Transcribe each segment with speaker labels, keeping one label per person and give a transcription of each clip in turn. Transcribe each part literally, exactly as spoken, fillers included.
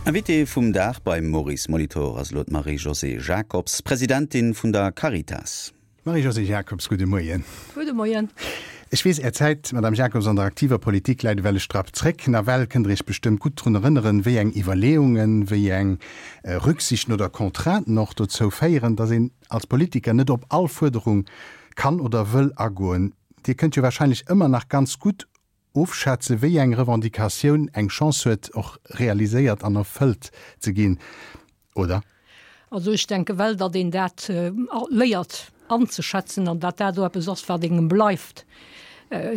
Speaker 1: Invitée vum Dag beim Maurice Molitor ass elo d'Marie-Josée Jacobs, Presidentin vun der Caritas.
Speaker 2: Marie-Josée Jacobs, gudde Moien.
Speaker 3: Gudde Moien.
Speaker 2: Ech weess, Är Zäit, Madame Jacobs, an der aktiver Politik läit ewell e Strapp zréck. Nawell kënnt Der Iech bestëmmt gutt drun erënneren, wéi eng Iwwerleeungen, wéi eng Rücksichten oder Contrainten och dozou féieren, datt een als Politiker net op all Fuerderung kann oder wëll agoen. Dir kënnt jo wahrscheinlech ëmmer nach ganz gutt ofschätzen, wéi eng Revendicatioun eng Chance huet, och realiséiert an erfëllt ze ginn, oder?
Speaker 3: Also ech denke well, datt een dat léiert anzeschätzen an datt dat och eppes ass, wat engem bleift.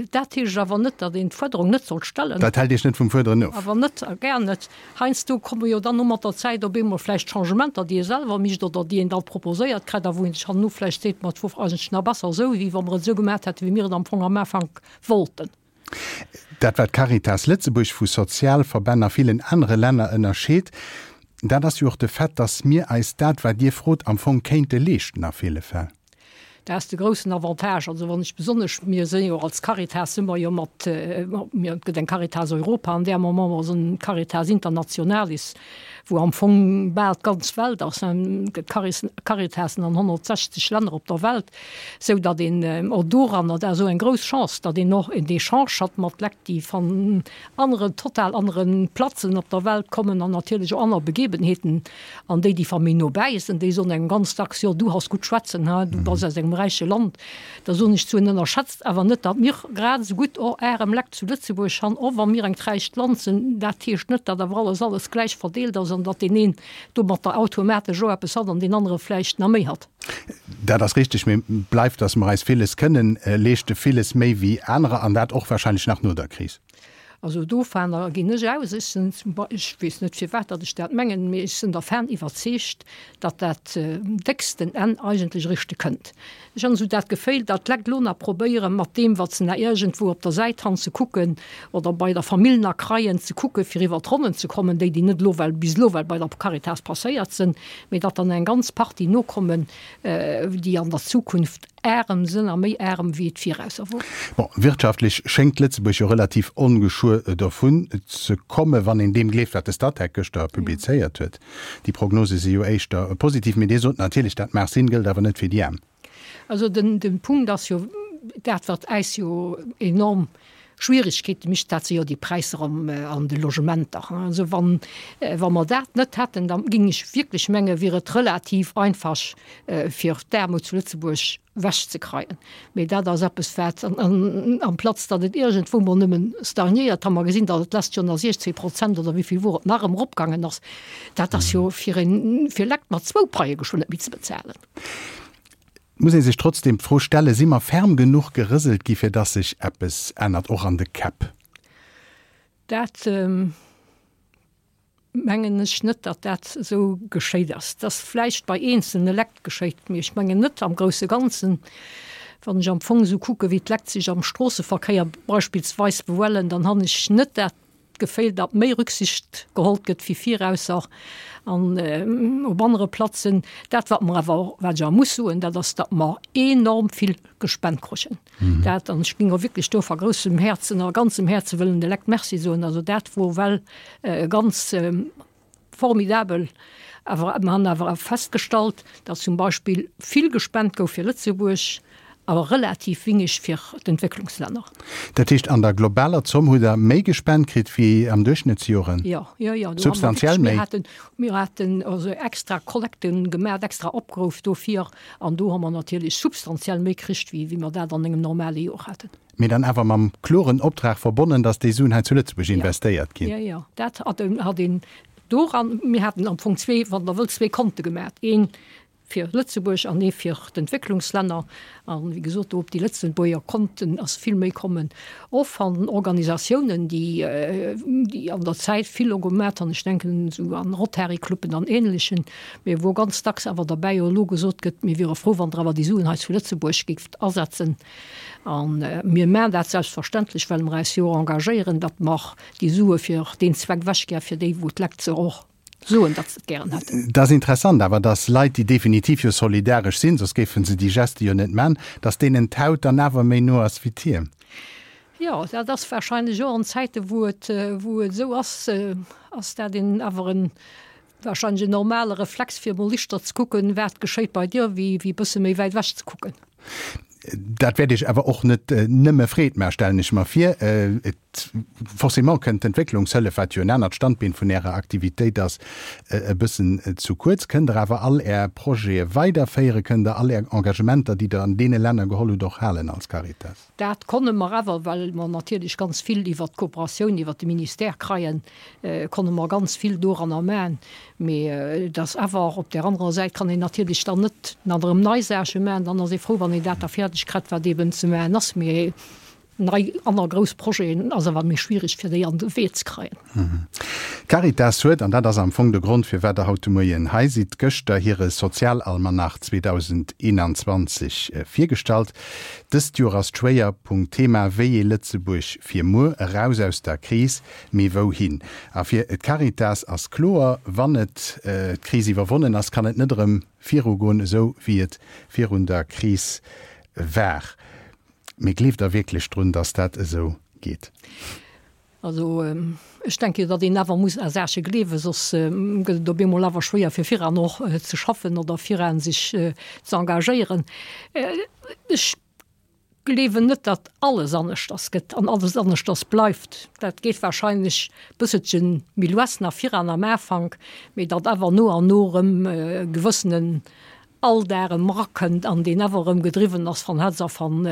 Speaker 3: Dat heescht awer net, datt een d'Fuerderung net soll stellen.
Speaker 2: Dat hält Iech net vum Fuerderen of?
Speaker 3: Awer net, a gär net. Heiansdo komme jo dann och mat der Zäit op eemol vläicht Changementer, déi ee selwer mécht oder déi een da proposéiert kritt a wou een sech herno vläicht seet, ma et wor eigentlech nach besser esou, wéi wa mer et esou gemaach hätten, wéi mir et am Fong am Ufank wollten.
Speaker 2: Dat, wat d'Caritas Lëtzebuerg vu Sozialverbänn a villen anere Länner ënnerscheet, dat ass jo och de Fait, dass mir eis dat, wat Dir frot, am Fong kéinte leeschten a ville Fäll.
Speaker 3: Dat ass de groussen Avantage. Also wann ech besonnesch, mir si jo als Caritas si mer jo mat, mir, et gëtt eng Caritas Europa an där Moment mer sinn Caritas Internationalis, wou am Fong bal d'ganz Welt ass, et gëtt Caritasen an honnertsechzeg Länner op der Welt, sou datt een och doranner, dat ass esou eng grouss Chance, datt een och en Echange hat mat Lekt, déi van aneren, total anere Platzen op der Welt kommen an natierlech och aner Begebenheeten. An déi, déi va méi no bäi sinn, déi soen engem ganz dacks, Jo, du has gutt schwätzen, ha, du bass aus engem räiche Land. Da soen ech zu hinnen, Ënnerschätzt awer net, datt mir grad esou gutt och ärem Leck zu Lëtzebuerg han, och wa mir engt räicht Land sinn. Dat heescht net, datt awer alles alles gläich verdeelt ass an datt deen een domatter automatesch och eppes hat an deen anere vläicht nach méi hat.
Speaker 2: Dat ass richteg, mee bleift, datt mer eis villes kënnen leeschten, villes méi wéi anerer, an dat och wahrscheinlech nach no der Kris.
Speaker 3: Also dovunner ginn ech aus. Ech sinn zum Bei-, ech weess net firwat datt ech dat mengen, mee ech sinn dervan iwwerzeegt, datt dat décksten Enn eigentlech eréischt kënnt. Ech han esou dat Geféil, datt d'Lekt elo nach probéieren, mat deem wat se nach iergendwou op der Säit han ze kucken oder bei der Famill nach kreien, ze kucken, fir iwwer d'Ronnen ze kommen, déi déi net elo well bis elo well bei der Caritas passéiert sinn, mee datt dann eng ganz Partie nokommen, déi an der Zukunft Ärem sënn a méi ärem wéi et virausser wor.
Speaker 2: Bon, wirtschaftlech schéngt Lëtzebuerg jo relativ ongeschuer dovun ze kommen, wann een deem gleeft, wat de Statec gëschter publizéiert huet. Déi Prognose si jo éischter positiv, mee Dir sot natierlech, dat mag sinn, gëllt awer net fir déi aarm.
Speaker 3: Also den, den Punkt ass jo dat, wat äis jo enorm Schwierigkeete mécht, dat si jo déi Präisser am, an de Logementer. Also wann, wa mer dat net hätten, da géing ech wierklech menge wier et relativ einfach fir d'Aarmut zu Lëtzebuerg ewechzekreien. Mee dat ass eppes wat, an amplaz datt et iergendwou mol nëmmen stagnéiert, ha mer gesinn, datt et d'lescht Joer nach siechzehn Prozent oder wéi vill wor et nach erëm eropgaangen ass. Dat ass jo fir een, fir Lekt mat zwou Paie geschwënn net méi ze bezahlen.
Speaker 2: Muss ee sech trotzdem d'Fro stellen, Si mer ferm genuch gerëselt gi fir dass sech eppes ännert, och an de Käpp?
Speaker 3: Dat mengen ech net, datt dat esou geschéit ass. Et ass vläicht bei eenzelne Lekt geschéit, mee ech mengen net am grousse Ganzen. Wann ech am Fong esou kucke wéi d'Lekt sech am Stroosseverkéier beispillsweis behuelen, dann han ech net dat Geféil, datt méi Rücksicht gehollt gëtt wéi virausser an op anere Platzen. Dat wat mer awer, wat ech awer muss soen, dat ass, datt mer enorm vill gespent kruchen. Dat, an ech géing och wierklech do va groussem Häerzen a ganzem Häerze wëllen de Lekt Merci soen. Also dat wor well ganz formidabel. Awer mer han awer festgestallt, datt zum Beispill vill gespent gouf fir Lëtzebuerg, awer relativ wéineg fir d'Entwécklungslänner.
Speaker 2: Dat heescht, an der globaler Zomm hutt Der méi gespent kritt wéi am Duerchschnëttsjoren?
Speaker 3: Jo, jo, jo, do hu mer
Speaker 2: Substantiell
Speaker 3: wierklech,
Speaker 2: méi?
Speaker 3: mir haten, mir haten also extra Kollekte gemaach, extra Opruff dofir, an do hu mer natierlech substantiell méi kricht, wéi wéi mer dat an engem normale Joer haten.
Speaker 2: Mee dann awer mam kloren Optrag verbonnen, datt déi Suen hei zu Lëtzebuerg investéiert ginn?
Speaker 3: Jo, jo, dat hat hat een doran, mir haten am Fong zwee, wann Der wëllt, zwee Konte gemaach, een fir Lëtzebuerg an ee fir d'Entwécklungslänner. An, wéi gesot, do op déi Lëtzebuerger Konten ass vill méi kommen, och van Organisatiounen, déi, déi an der Zäit vill och gemat han, ech denken esou an Rotary-Cluben an Ähnlechen, mee wou ganz dacks awer derbäi och elo gesot gëtt, mir wiere frou, wann Der awer déi Suen hei zu Lëtzebuerg géift asetzen. A mir maachen dat selbstverständlech, well mer eis jo och engagéieren, datt mer déi Sue fir deen Zweck ewechgär, fir déi wou d'Lekt se och soen, datt se et gären hätten.
Speaker 2: Et ass interessant awer, datt Leit, déi definitiv jo solidaresch sinn, soss géife se déi Geste jo net man, datt deenen d'Haut dann awer méi no ass wéi d'Hiem.
Speaker 3: Jo, dat ass wahrscheinlech och an Zäiten, wou et, wou et esou ass, ass dat een awer en wahrscheinlech en normale Reflex, fir emol lichter ze kucken, wat geschéit bei dir, wéi wéi e bësse méi wäit ewech ze kucken.
Speaker 2: Dat wäert Iech awer och net nëmme Freed maachen, stellen ech mer vir. Et, forcément kënnt d'Entwécklungshëllef, wat jo en anert Standbeen vun Ärer Aktivitéit ass, e bëssen zu kuerz. Kënnt Der awer all Är Projete weiderféieren? Kënnt Der all Är Engagementer, déi Der an deene Länner geholl hutt, och halen als Caritas?
Speaker 3: Dat konne mer awer, well mer natierlech ganz vill iwwert d'Kooperatioun iwwert de Ministère kreien, konne mer ganz vill doranner maachen. Mee et ass awer, op där anerer Säit kann een natierlech dann net nach erëm nei Saache maachen. Dann ass ee frou, wann een dat da fäerdeg kritt, wat eeben ze maachen ass. Mee nei aner grouss Projeten ass awer méi schwierig, fir déi an de Wee ze kreien.
Speaker 2: D'Caritas huet, an dat ass am Fong de Grond, firwat Der haut de Moien hei sidd, gëschter hire Sozialalmanach zweedausendeenanzwanzeg virgestallt. Dëst Joer ass d'Schwéierpunktthema Wéi ee Lëtzebuerg fir muer, eraus aus der Kris, mee wouhin? A fir d'Caritas ass kloer, Wann et d'Kris iwwerwonnen ass, kann et net erëm virugoen, esou wéi et virun der Kris war. Mee gleeft Der wierklech drun, datt dat esou geet?
Speaker 3: Also ech denke, datt een awer muss a Saache gleewen, soss gëtt et op eemol awer schwéier fir viran och ze schaffen oder viran sech ze engagéieren. Ech gleewen net, datt alles aneschters gëtt an alles aneschters bleift. Dat geet wahrscheinlech bësselche méi lues nach viran am Afank, mee datt awer no an no erëm e gewëssenen Alldag erëm erakënnt an deen awer erëm gedriwwen ass van Hetz a van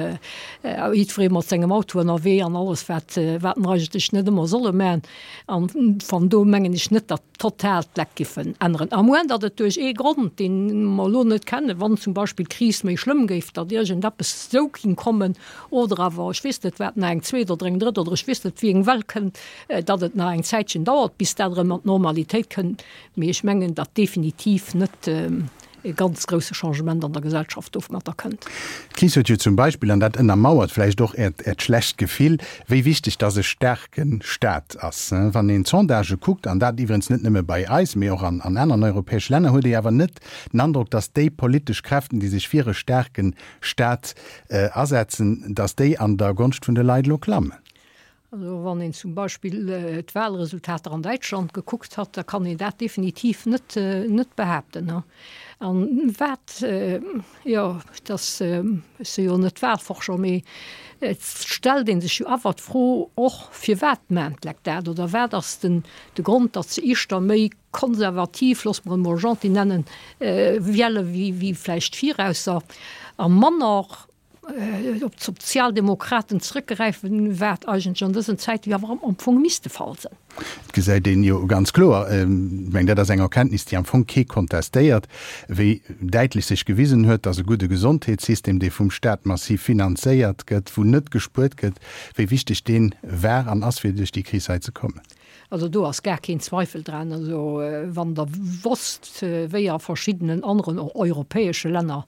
Speaker 3: jiddweree mat sengem Auto ënnerwee an alles wat wat mer eigentlech net ëmmer solle man. An van do mengen ech net, datt total d'Leck giffen änneren. À moins datt et duerch ee Grond, deen mer elo net kennen, wann zum Beispill d'Kris méi schlëmm géif, datt iergendeppes esou ging kommen oder awer ech weess net wat nach eng zweet oder eng drëtt oder ech weess net wéi eng Well kënnt, datt et nach eng Zäitchen dauert, bis dat erëm an d'Normalitéit kënnt. Mee ech mengen, datt definitiv net e ganz grousse Changement an der Gesellschaft domadder kënnt.
Speaker 2: D'Kris huet jo zum Beispill, an dat ënnermauert vläicht och Äert, Äert schlecht Gefill, wéi wichteg dass e staarke Staat ass. Wann een d'Sondagë kuckt, an dat iwwerens net nëmme bei eis, mee och an, an aneren europäesche Länner, huet ee awer net den Androck, dass déi politesch Kräften, déi sech fir e staarke Staat asetzen, dass déi an der Gonscht vun de Leit elo klammen.
Speaker 3: Also wann een zum Beispill d'Wahlresultater an Däitschland gekuckt hat, da kann een dat definitiv net, net behaapten. An wat, jo, dass, ech si jo net Wahlforscher, mee et stellt ee sech jo awer d'Fro och, firwat maachen d'Lekt dat oder wat ass den, de Grond, datt se éischter méi konservativ, loosse mer et emol gentil nennen, wiele wéi, wéi vläicht virausser a manner, op d'Sozialdemokraten zrëckgräifen, wat eigentlech an dësen Zäite jo awer am Fong misst de Fall sinn.
Speaker 2: Et gesäit een jo ganz kloer, ech mengen, dat ass eng Erkenntnis, déi am Fong kee kontestéiert, wéi däitlech sech gewisen huet, dass e gudde Gesondheetssystem, dee vum Stat massiv finanzéiert gëtt, wou net gespuert gëtt, wéi wichteg dee war an ass, fir duerch déi Kris hei ze kommen.
Speaker 3: Also do ass gar keen Zweifel dran. Also wann Der wosst, wéi a verschiddenen aneren och europäesche Länner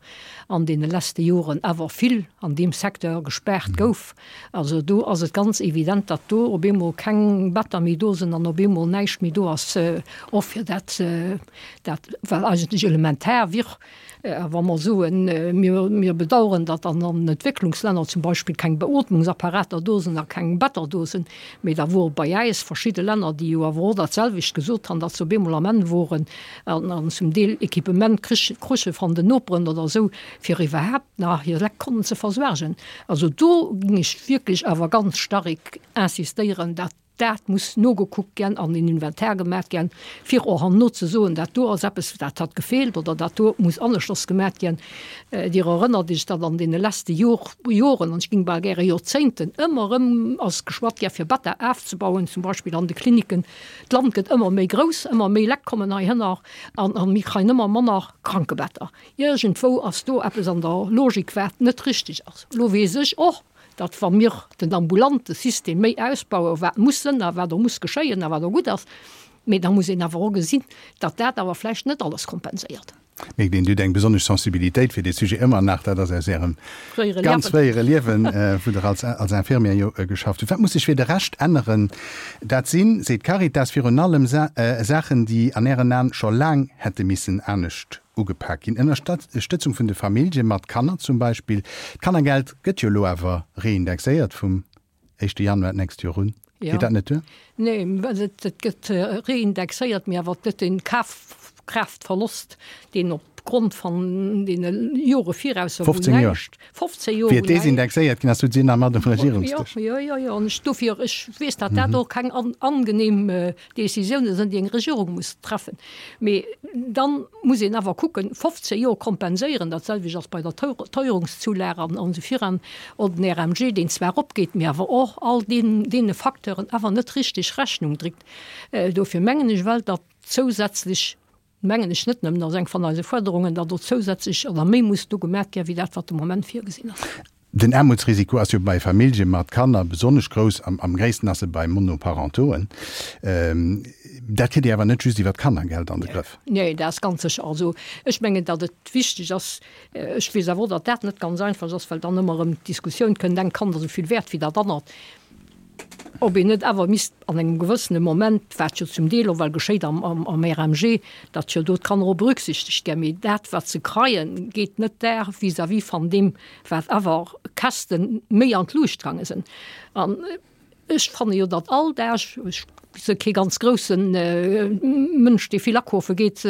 Speaker 3: an deene leschte Joren awer vill an deem Secteur gespaart gouf, also do ass et ganz evident, datt do op eemol keng Better méi do sinn an op eemol näischt méi do ass, och fir dat, dat wat eigentlech elementar wier. A wa mer soen, mir, mir bedauern, datt an an Entwécklungslänner zum Beispill keng Beotmungsapparater do sinn a keng Better do sinn, mee da wore bei äis verschidde Länner, déi jo awer och dat selwecht gesot han, datt se op eemol am Enn woren an, an zum Deel Equipement krich, kruche van den Noperen oder esou, fir iwwerhaapt nach hir Lekt konnen ze versuergen. Also do ging ech wierklech awer ganz stark insistéieren, datt Dat muss nogekuckt ginn an en Inventaire gemaach ginn, fir och herno ze soen, dat do ass eppes, dat hat gefeelt oder dat do muss aneschters gemaach ginn. Dir erënnert Iech, datt an deene leschte Jor, Joren, an ech géing bal gäre Joerzéngten, ëmmer erëm ass geschwat gi fir Better afzebauen, zum Beispill an de Kliniken. D'Land gëtt ëmmer méi grouss, ëmmer méi Lekt kommen heihinner an a mir kréien ëmmer manner Krankebetter. Iergendwou ass do eppes an der Logik, wat net richtig ass. Elo weess ech och, datt wa mir den ambulante System méi ausbauen, wat muss sënn a wat och muss geschéien a wat och gutt ass, mee da muss een awer och gesinn, datt dat awer vläicht net alles kompenséiert.
Speaker 2: Mierkt een, Dir hutt eng besonnesch Sensibilitéit fir dee Sujet ëmmer nach, dat ass aus Ärem ganz fréiere Liewen, wou Der als als Infirmière jo geschafft hutt. Wat muss sech fir de Rescht änneren? Dat sinn, seet d'Caritas, virun allem Saachen, déi an Ären Aen scho laang hätte missen anescht ugepak ginn. Ënnerstëtzung vun de Famillje mat Kanner zum Beispill. D'Kannergeld gëtt jo elo awer reindexéiert vum éischte Januar d'nächst Joer un.
Speaker 3: Ja.
Speaker 2: Geet dat net duer?
Speaker 3: Nee, well et, et gëtt reindexéiert, mee awer net den Kafkraaftverlost, deen opgrond van deene Jore viraus wou
Speaker 2: fofzéng Joer.
Speaker 3: näischt, fofzéng Joer
Speaker 2: Wéi
Speaker 3: wou
Speaker 2: et desindexéiert ginn ass, sot si nach mat um Regierungsdësch.
Speaker 3: Jo, jo, jo, an ech dofir, ech weess, datt dat och keng an, angenehm Décisioune sinn, déi eng Regierung muss treffen. Mee dann muss een awer kucken, fofzéng Joer kompenséieren, dat selwecht ass bei der Teuerungszulage an, an esou viran, oder den R M G, deen zwar eropgeet, mee awer och all deen, deene Facteuren awer net richteg Rechnung dréit. Dofir mengen ech well, datt zousätzlech, mengen ech net nëmmen, ass eng van eise Fuerderungen, datt do zousätzlech oder méi muss do gemat ginn, wéi dat, wat de Moment virgesinn ass.
Speaker 2: Den Aarmutsrisiko ass jo bei Famillje mat Kanner besonnesch grouss, am, am gréissten ass e bei Monoparentoen. Ähm, dat kritt Dir awer net just iwwer d'Kannergeld an de Grëff.
Speaker 3: Nee, dat ass ganz sécher. Also ech mengen, datt et wichteg ass, ech weess awer och, datt dat net ganz einfach ass, well dann ëmmer erëm d'Diskussioun kënnt, eng Kand ass esou vill wäert wéi dat anert. Ob een net awer misst an engem gewëssene Moment, wat jo zum Deel och well geschéit am, am, am R M G, datt jo do d'Kanner och berücksichtegt ginn, mee dat, wat se kreien, geet net där vis-à-vis van deem, wat awer Käschten méi an d'Luucht gaange sinn. An ech fanne jo, datt all Dag, ech si kee ganz groussen Mënsch, dee vill akafe geet,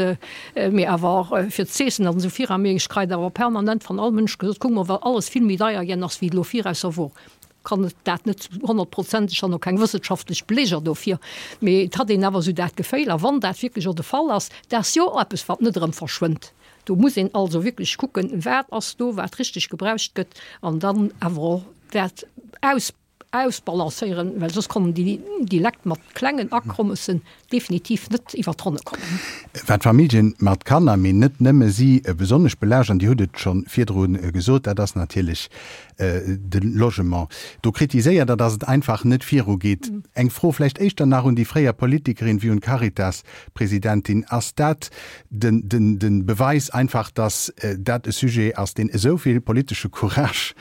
Speaker 3: mee awer fir z'iessen an esou viran, mee ech kreien awer permanent van all Mënsch gesot, kuck mol, wat alles vill méi deier ginn ass, wéi et elo virausser wor. Kann et dat net honnertprozenteg, ech han och keng wëssenschaftlech Beleger dofir, mee et hat een awer esou dat Geféil, a wann dat wierklech och de Fall ass, dat ass jo eppes, wat net erëm verschwënnt. Do muss een also wierklech kucken, wat ass do, wat richteg gebraucht gëtt, an dann awer och dat aus, ausbalancéieren, well soss kommen déi, déi Lekt mat klengen Akommessen definitiv net iwwer d'Ronne kommen.
Speaker 2: Wat Familljen mat Kanner, mee net nëmme si, besonnesch belaascht, an Dir hutt et scho virdru gesot, dat ass natierlech de Logement. Do kritiséiert Der, datt et einfach net virugeet. Eng Fro vläicht éischter nach un déi fréier Politikerin wéi un d'Caritas-Presidentin, Ass dat den, den, den Beweis einfach, datt dat e Sujet ass, deen esou vill politesche Courage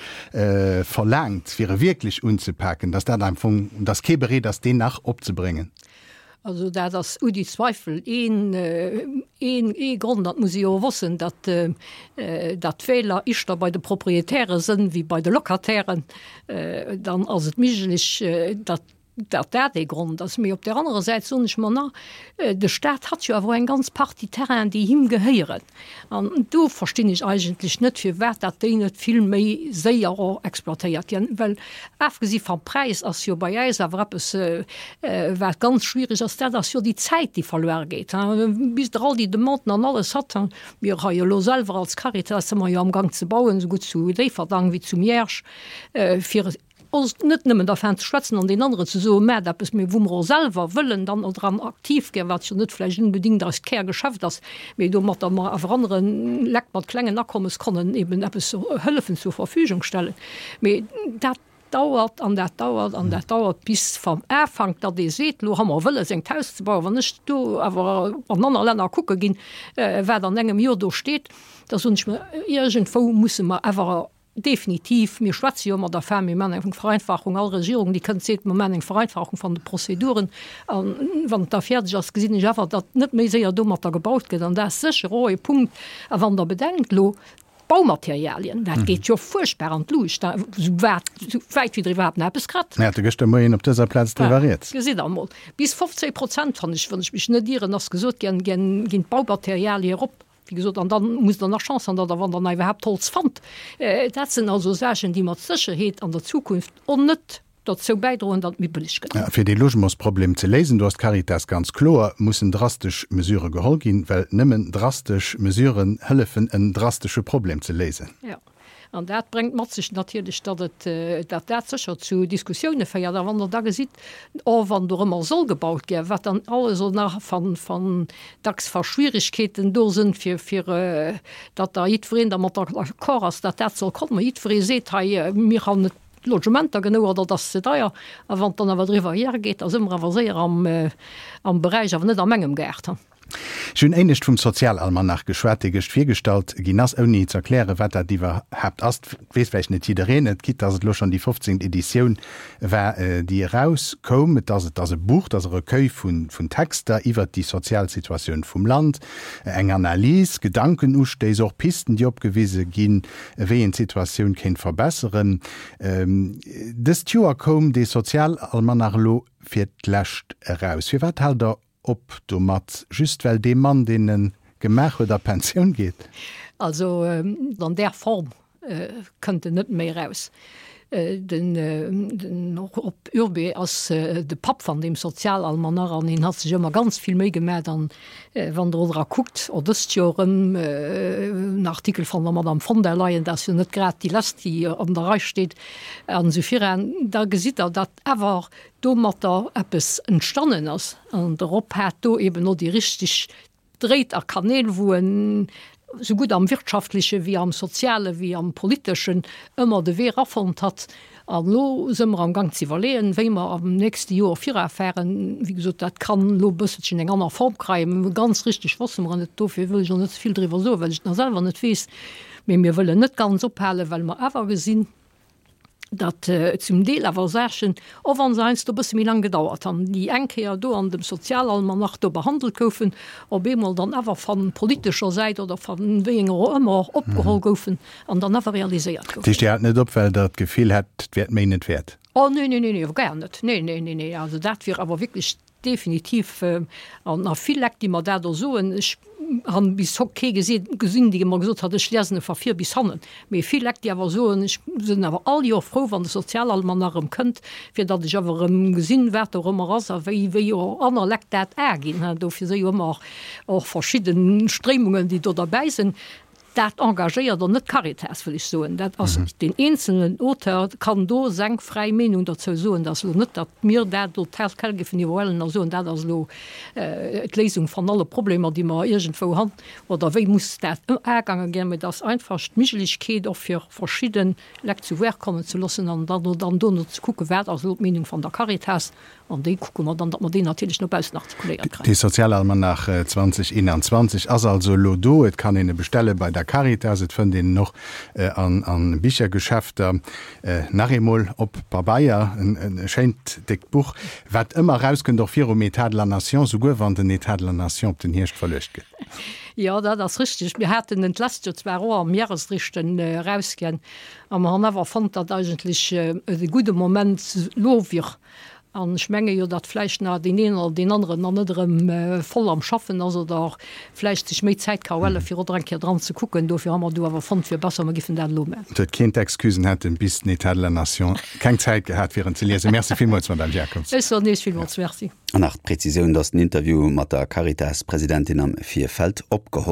Speaker 2: verlaangt, fir e wierklech unzepaken, datt dat am Fong, datt kee bereet ass, deen nach opzebréngen?
Speaker 3: Also dat ass ouni Zweifel een, een, ee Grond, dat muss ee jo wëssen, datt, datt d'Wähler ischter bei de Proprietäre sënn wéi bei de Locatairen, dann ass et méiglech, datt datt dat ee Grond ass. Mee op där anerer Säit soen ech mer nach, de Staat hat jo awer och eng ganz Partie Terrainen, déi him gehéieren. An do verstinn ech eigentlech net, firwat dat déi net vill méi séier och exploitéiert ginn. Well afgesi vam Präis ass jo bei äis awer eppes, wat ganz schwierig ass, dat ass jo déi Zäit, déi verluer geet, bis Der all déi Demanden an alles hat. Mir hei elo selwer als Caritas si mer jo amgang ze bauen, esougutt zu Déifferdang wéi zu Miersch, fir ons net nëmmen dervan ze schwätzen an den aneren ze soen, maacht eppes, mee wou mer och selwer wëllen dann och dran aktiv ginn, wat jo net vläicht unbedingt eist Kärgeschäft ass, mee domatter mer awer anere Lekt mat klengen Akommes konnen eben eppes hëllefen zur Verfügung stellen. Mee dat dauert an dat dauert an dat dauert, bis vam Ufank, datt ee seet, lo hu mer wëlles engt Haus ze bauen. Wann ech do awer an aner Länner kucke ginn, wat an engem Joer do steet, da soen ech mer, iergendwou musse mer awer definitiv, mir schwätze jo ëmmer dervan, mir maachen eng Vereinfachung, all Regierung, déi kënnt, seet, mir maachen eng Vereinfachung van de Prozeduren, an wann et da fäerdeg ass, gesinn ech awer, datt net méi séier domatter gebaut gëtt, an dat ass sécher och e Punkt. A wann Der bedenkt elo d'Baumaterialien, dat geet jo fuerchtbar an d'Luucht, esou wat, esou wäit wéi Der iwwerhaapt nach eppes kritt.
Speaker 2: Mir hate gëschter Moien op dëser Plaz driwwer rieds.
Speaker 3: Gesitt Der emol, bis fofzéng Prozent, wann ech, wann ech mech net ieren, ass gesot ginn, ginn d'Baumaterialie erop. Wéi gesot, an dann musst Der nach Chance han, datt Der, wann Der nach iwwerhaapt Holz fannt. Dat sinn also Saachen, déi mat Sécherheet an der Zukunft och net dozou bäidroen, datt et méi bëlleg gëtt.
Speaker 2: Fir dee Logementsproblem ze léisen, do ass d'Caritas ganz kloer, mussen drastesch Mesurë geholl ginn, well nëmmen drastesch Mesuren hëllefen, en drastesche Problem ze léisen.
Speaker 3: Jo. An dat bréngt mat sech natierlech, datt et, datt dat sécher zu Diskussioune féiert. A wann Der da gesitt, och wann dorëmmer soll gebaut ginn, wat dann alles och nach van, van dacks va Schwierigkeeten do sinn, fir, fir datt da jiddwereen dermat d'accord ass, datt dat soll kommen. Jiddweree seet hei, mir han net Logementer genou oder et ass ze deier. A wann et dann awer driwwer hiergeet, da si mer awer séier am, am Beräich, awer net a mengem Gaart.
Speaker 2: Ech hunn éinescht vum Sozialalmanach geschwat, dee gëscht virgestallt ginn ass, ouni ze erklären, wat dat iwwerhaapt ass. Weess vläicht net jiddereen et, quitte dass et elo schonn déi fofzéngt Editioun war, déi erauskoum. Et ass, et ass e Buch, et ass e Recueil vun, vun Texter iwwert déi sozial Situatioun vum Land, eng Analys, Gedankenustéiss, och Pisten, déi opgewise ginn, wéi een d'Situatioun kéint verbesseren. Dëst Joer koum dee Sozialalmanach elo fir d'lescht eraus. Firwat haalt Der op domat? Just well dee Mann, deen e gemaach huet, a Pensioun geet?
Speaker 3: Also an där Form kënnt en net méi eraus. Den den Rob Urbé ass de Papp van deem Sozialalmanach an hien hat sech ëmmer ganz vill Méi gemat an wann Der dra kuckt, och dëst Joer erëm en Artikel van der Madame von der Leyen, dat ass jo net grad déi lescht, déi an der Rei steet an esou viran, da gesitt Der, datt awer domatter eppes entstannen ass an de Rob hat do eben och déi richteg Dréit a Kanäl, wou en sougutt am Wirtschaftleche wéi am Soziale wéi am Politeschen ëmmer de Wee erafonnt hat. An elo si mer am Gang ze iwwerleeën, wéi mer am nächste Joer virafären. Wéi gesot, dat kann elo e bësselchen eng aner Form kréien. Mä ganz richteg wësse mer et net. Dofir wëll ech och net ze vill driwwer soen, well ech et nach selwer net weess. Mee mir wëllen net ganz ophalen, well mer awer gesinn, datt zum Deel awer Saachen, och wa se heiansdo e bësse méi laang gedauert han, déi eng Kéier do an dem Sozialalmanach do behandelt goufen, op eemol dann awer van politescher Säit oder van wéi enger och ëmmer opgeholl goufen an dann awer realiséiert
Speaker 2: goufen. Dat heescht, Dir haalt net op, well Der d'Gefill hätt, et wär d'Méi net wäert?
Speaker 3: Oh nee, nee, nee, nee, gar net. Nee, nee, nee, nee. Also dat wier awer wierklech Definitiv, an a vill Lekt, déi mer dat och soen. Ech han bis hock kee gesinn, dee mer gesot hat, ech liesen e va vir bis hannen. Mee vill Lekt, déi awer soen, ech sinn awer all Joer frou, wann de Sozialalmanach erëm kënnt, fir datt ech awer erëm gesinn, wat do erëmmer ass a wéi, wéi och aner Lekt dat aginn. Dofir si jo ëmmer och verschidde Stréimungen, déi do derbäi sinn. Dat engagéiert och net d'Caritas, wëll ech soen. Dat ass deen eenzelnen Auteur kann do seng fräi Meenung dozou soen. Dat ass elo net, datt mir dat do tel quel géifen iwwerhuelen a soen, dat ass elo d'Léisung van alle Problemer, déi mer iergendwou han, oder wéi muss dat agaange ginn. Mee et ass einfach d'Miglechkeet och fir verschidde Lekt zu Wuert kommen ze loossen an dann dono ze kucken, wat ass elo d'Meenung van der Caritas. An déi kucke mer dann, datt mer déi natierlech no baussen artikuléiert
Speaker 2: kréien. De Sozialalmanach zwanzeg eenanzwanzeg ass also elo do. Et kann een e bestelle bei der Caritas, et fënnt een en och an Bichergeschäfter. Nach eemol op Pabeier, e schéint déckt Buch, wat ëmmer erauskënnt, och virum État de la Nation, souguer wann den État de la Nation op den Hierscht verluecht gëtt.
Speaker 3: Jo, dat ass richteg. Mir haten en d'lescht Joer zwar och am Jahresrichten erausginn, a mer han awer fonnt, datt eigentlech et e gudde Moment elo wier, An ech menge jo, datt vläicht nach deen een oder deen aneren nach net erëm voll am Schaffen ass oder vläicht sech méi Zäit ka huelen, fir och nach eng Kéier dran ze kucken. Dofir hu mer do awer fonnt, wier besser, mer giffen dat elo maachen.
Speaker 2: Et huet keen d'Excusen, hätt en bis den État de la Nation keng Zäit gehat, fir en ze liesen. Merci villmools, Madame Jacobs.
Speaker 3: Ech soen Iech villmools Merci.
Speaker 1: An nach d'Präzisioun, dass den Interview mat der Caritas-Presidentin am Virfeld opgeholl.